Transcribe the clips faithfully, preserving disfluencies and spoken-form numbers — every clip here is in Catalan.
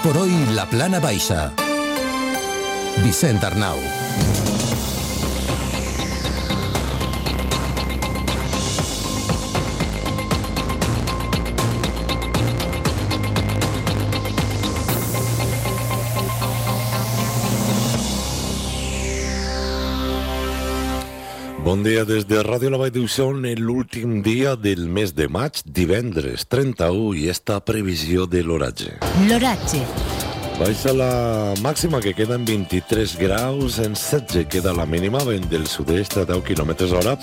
por hoy la Plana Baixa. Vicent Arnau. Bon dia des de Ràdio La Vall d'Uixó, en l'últim dia del mes de maig, divendres trenta-u, i esta previsió de l'oratge. L'oratge. Baixa la màxima, que queda en vint-i-tres graus, en setze queda la mínima, vent del sud-est a deu quilòmetres hora,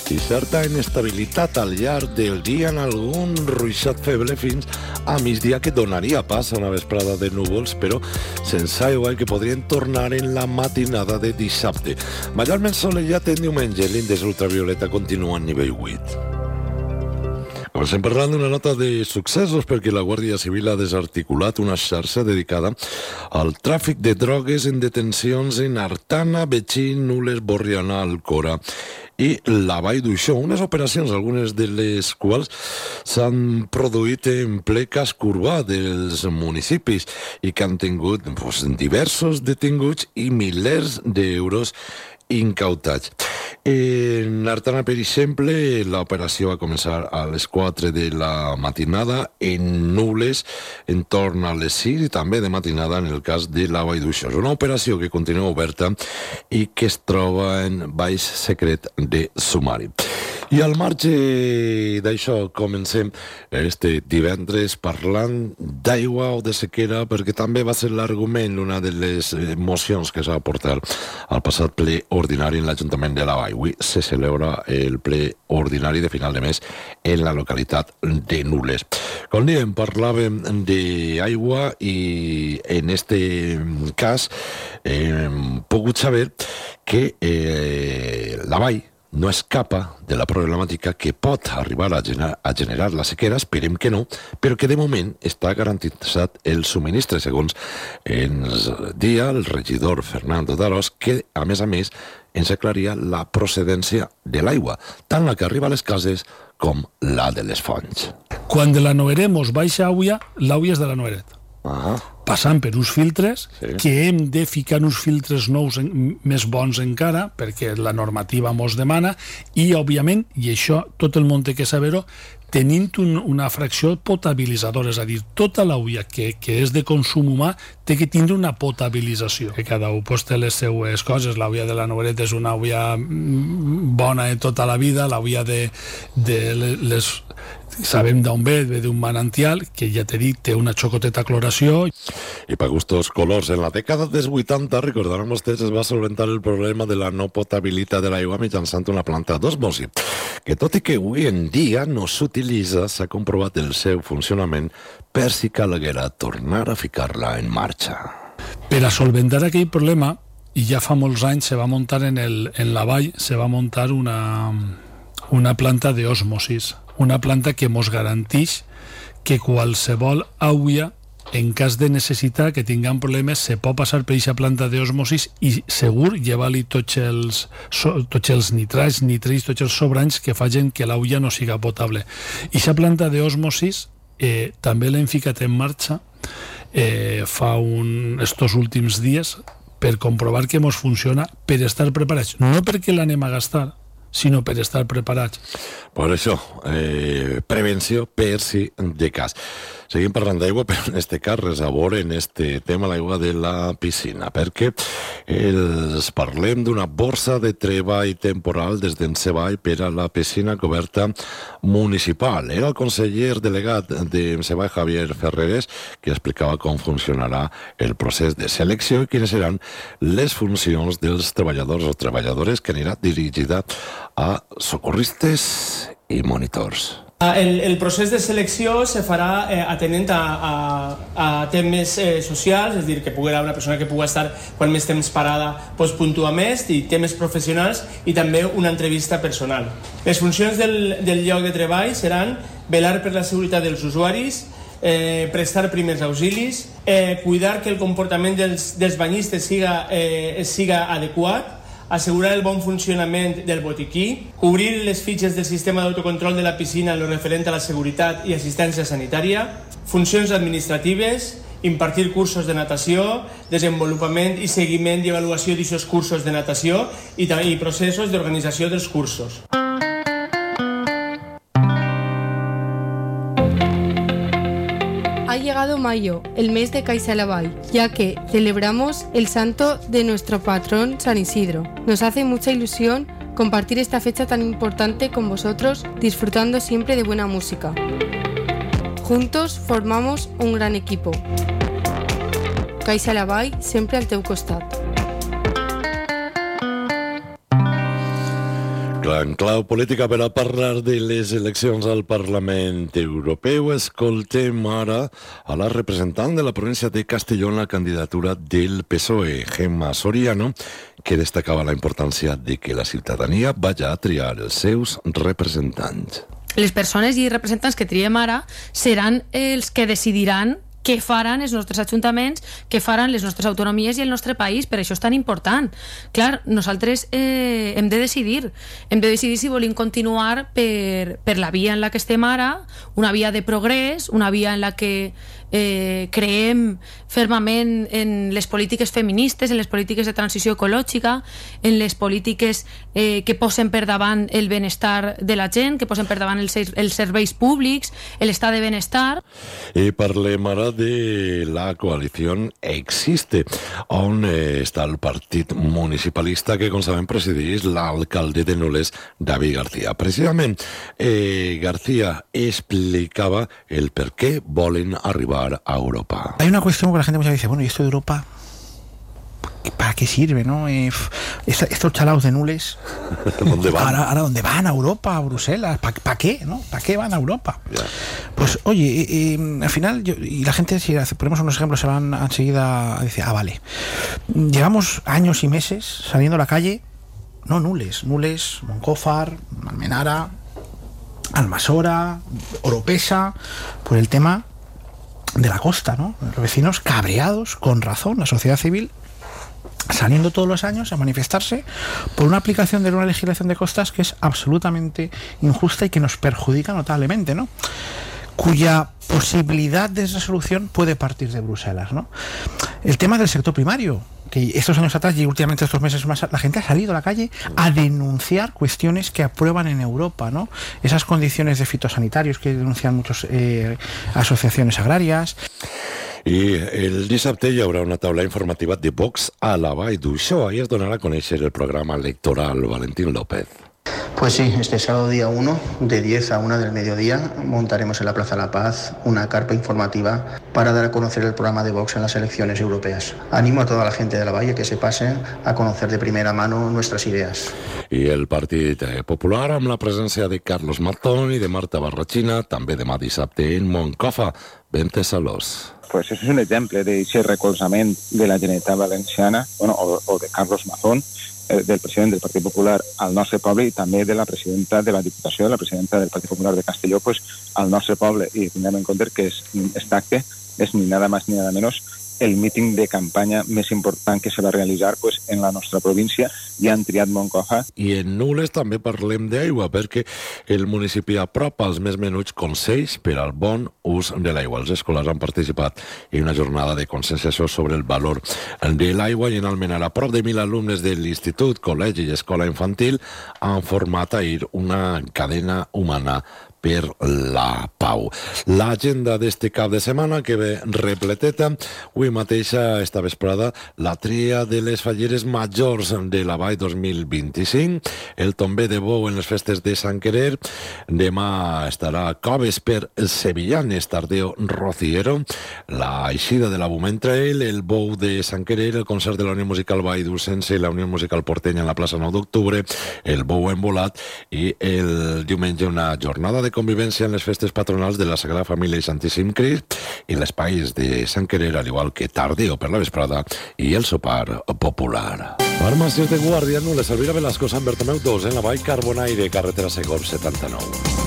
i certa inestabilitat al llarg del dia en algun ruixat feble fins a migdia, que donaria pas a una vesprada de núvols, però sense aigua, i que podrien tornar en la matinada de dissabte. Mayorment solellat en diumenge, l'índex ultravioleta continua en nivell vuit. Comencem parlant d'una nota de successos, perquè la Guàrdia Civil ha desarticulat una xarxa dedicada al tràfic de drogues en detencions en Artana, Betxí, Nules, Borriana, Alcora i la Vall d'Uixó. Unes operacions, algunes de les quals s'han produït en ple casc urbà dels municipis i que han tingut pues, diversos detinguts i milers d'euros incautats. En Artana, per exemple, l'operació va començar a les quatre de la matinada, en Nules entorn a les sis i també de matinada en el cas de la Vall d'Uixó. És una operació que continua oberta i que es troba en baix secret de sumari. I al marge d'això comencem este divendres parlant d'aigua o de sequera, perquè també va ser l'argument una de les mocions que s'ha portat al passat ple ordinari en l'Ajuntament de la Vall. Avui se celebra el ple ordinari de final de mes en la localitat de Nules. Com diem, parlàvem d'aigua i en este cas hem pogut saber que eh, la Vall no escapa de la problemàtica que pot arribar a generar, a generar la sequera, esperem que no, però que de moment està garantitzat el subministre, segons ens dia el regidor Fernando Darós, que a més a més ens aclaria la procedència de l'aigua, tant la que arriba a les cases com la de les fonts. Quan de la Noeremos baixa aigua, l'aigua és de la Noeret. Ah. Passant per uns filtres, sí, que hem de ficar uns filtres nous en, més bons encara, perquè la normativa mos demana, i, òbviament, i això tot el món té que saber-ho, tenint un, una fracció potabilitzadora, és a dir, tota l'aigua que, que és de consum humà té que tindre una potabilització, que cada un pues, té les seues coses. L'aigua de la Noeret és una aigua bona de tota la vida, l'aigua de, de les... sabem d'on ve, ve d'un manantial, que ja t'he dit, té una xocoteta cloració. I per gustos colors, en la dècada dels vuitanta, recordaran vostès, es va solventar el problema de la no potabilitat de l'aigua mitjançant una planta d'osmosi, que tot i que avui en dia no s'utilitza, s'ha comprovat el seu funcionament per si calguera tornar a ficar-la en marxa. Per a solventar aquell problema, i ja fa molts anys se va muntar en, el, en la vall, se va muntar una, una planta d'osmosis, una planta que mos garanteix que qualsevol aigua, en cas de necessitat, que tinguem problemes, se pot passar per aquesta planta d'osmosis i segur llevar-li tots els, tots els nitrats, nitrits, tots els sobranys que facin que l'aigua no siga potable. I aquesta planta d'osmosis eh, també l'hem ficat en marxa eh, fa un, estos últims dies per comprovar que mos funciona, per estar preparats. No perquè l'anem a gastar, sinó per estar preparats. Per això, eh, prevenció per si de cas. Seguim parlant d'aigua, però en este cas res a veure en este tema, l'aigua de la piscina, perquè els parlem d'una borsa de treball temporal des d'Enceball per a la piscina coberta municipal. Era el conseller delegat d'Enceball, Javier Ferreres, que explicava com funcionarà el procés de selecció i quines seran les funcions dels treballadors o treballadores, que anirà dirigida a socorristes i monitors. El, el procés de selecció se farà eh, atenent a, a, a temes eh, socials, és a dir, que pugui haver una persona que pugui estar quan més temps parada pues, puntua més, i temes professionals i també una entrevista personal. Les funcions del, del lloc de treball seran velar per la seguretat dels usuaris, eh, prestar primers auxilis, eh, cuidar que el comportament dels, dels banyistes siga, eh, siga adequat, assegurar el bon funcionament del botiquí, cobrir les fitxes del sistema d'autocontrol de la piscina en lo referent a la seguretat i assistència sanitària, funcions administratives impartir cursos de natació, desenvolupament i seguiment i avaluació d'aquests cursos de natació i, i processos d'organització dels cursos. Ha llegado mayo, el mes de CaixaLavall, ya que celebramos el santo de nuestro patrón San Isidro. Nos hace mucha ilusión compartir esta fecha tan importante con vosotros, disfrutando siempre de buena música. Juntos formamos un gran equipo. CaixaLavall, sempre al teu costat. En clau política, per a parlar de les eleccions al Parlament Europeu, escoltem ara a la representant de la província de Castelló en la candidatura del P S O E, Gemma Soriano, que destacava la importància de que la ciutadania vagi a triar els seus representants. Les persones i representants que triem ara seran els que decidiran què faran els nostres ajuntaments, què faran les nostres autonomies i el nostre país. Per això és tan important. Clar, nosaltres eh, hem de decidir. Hem de decidir si volem continuar per, per la via en la que estem ara, una via de progrés, una via en la que eh, creem fermament en les polítiques feministes, en les polítiques de transició ecològica, en les polítiques eh, que posen per davant el benestar de la gent, que posen per davant els, els serveis públics, l'estat de benestar. I parlem ara de la coalició Existe, on eh, està el partit municipalista que, com sabem, presideix l'alcalde de Nules, David García. Precisament, eh, García explicava el per què volen arribar a Europa. Hay una cuestión que la gente muchas veces dice, bueno, ¿y esto de Europa para qué sirve, no? Eh, estos chalaos de Nules, ¿dónde van? Ahora, ahora ¿dónde van? ¿A Europa? ¿A Bruselas? ¿Para pa qué, no? ¿Para qué van a Europa? Yeah. Pues, oye, eh, eh, al final, yo, y la gente, si ponemos unos ejemplos, se van enseguida a decir, ah, vale, llevamos años y meses saliendo a la calle, no Nules, Nules, Moncófar, Almenara, Almasora, Oropesa, por el tema de la costa, ¿no? Los vecinos cabreados, con razón, la sociedad civil saliendo todos los años a manifestarse por una aplicación de una legislación de costas que es absolutamente injusta y que nos perjudica notablemente, ¿no? Cuya posibilidad de resolución puede partir de Bruselas, ¿no? El tema del sector primario, que estos años atrás y últimamente estos meses más, la gente ha salido a la calle a denunciar cuestiones que aprueban en Europa, ¿no? Esas condiciones de fitosanitarios que denuncian muchas eh, asociaciones agrarias. I el dissabte hi haurà una taula informativa de Vox a la Vall d'Uixó. Ahí es donarà a conèixer el programa electoral. Valentín López. Pues sí, este sábado día uno, de diez a una del mediodía, montaremos en la Plaza La Paz una carpa informativa para dar a conocer el programa de Vox en las elecciones europeas. Animo a toda la gente de la Valle que se pase a conocer de primera mano nuestras ideas. I el Partit Popular, amb la presència de Carlos Martón i de Marta Barrachina, també demà dissabte en Moncofa. Bente Salós. Pues és un exemple d'aquest recolzament de la Generalitat Valenciana, bueno, o, o de Carlos Mazón, eh, del president del Partit Popular al nostre poble i també de la presidenta de la Diputació, de la presidenta del Partit Popular de Castelló, pues, al nostre poble. I tinguem en compte que es, este acte és ni nada más ni nada menos el míting de campanya més important que se va realitzar pues, en la nostra província i han triat Moncofa. I en Nules també parlem d'aigua, perquè el municipi apropa els més menuts consells per al bon ús de l'aigua. Els escolars han participat en una jornada de conscienciació sobre el valor de l'aigua i en Almenara prop de mil alumnes de l'institut, col·legi i escola infantil han format ahir una cadena humana per la pau. L'agenda d'este cap de setmana que ve repleteta. Avui mateixa, esta vesprada, la tria de les falleres majors de la Vall dos mil vint-i-cinc, el tomber de bou en les festes de Sant Querer. Demà estarà Coves per Sevillanes, Tardeo Rociero, la eixida de la Bument Trail, el bou de Sant Querer, el concert de la Unió Musical Vall d'Ucense i la Unió Musical Portenya en la plaça nou d'octubre, el bou embolat i el diumenge una jornada de convivència en les festes patronals de la Sagrada Família i Santíssim Crist i l'espai de Sant Querer, al igual que Tardeo per la vesprada i el sopar popular. Farmàcies de Guàrdia, no les Elvira Velasco, Sant Bertomeu dos, en la Vall Carbonaire, carretera Segor setanta-nou.